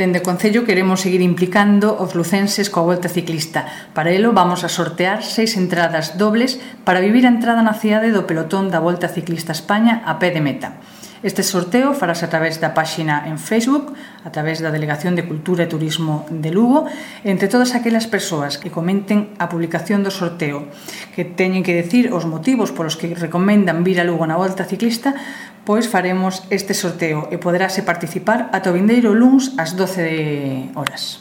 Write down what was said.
Dende o Concello queremos seguir implicando os lucenses coa Volta Ciclista. Para elo vamos a sortear 6 entradas dobles para vivir a entrada na cidade do pelotón da Volta Ciclista España a pé de meta. Este sorteo farase a través da páxina en Facebook, a través da Delegación de Cultura e Turismo de Lugo, entre todas aquelas persoas que comenten a publicación do sorteo, que teñen que decir os motivos polos que recomendan vir a Lugo na Volta Ciclista, pois faremos este sorteo e poderase participar ata o vindeiro luns ás 12 horas.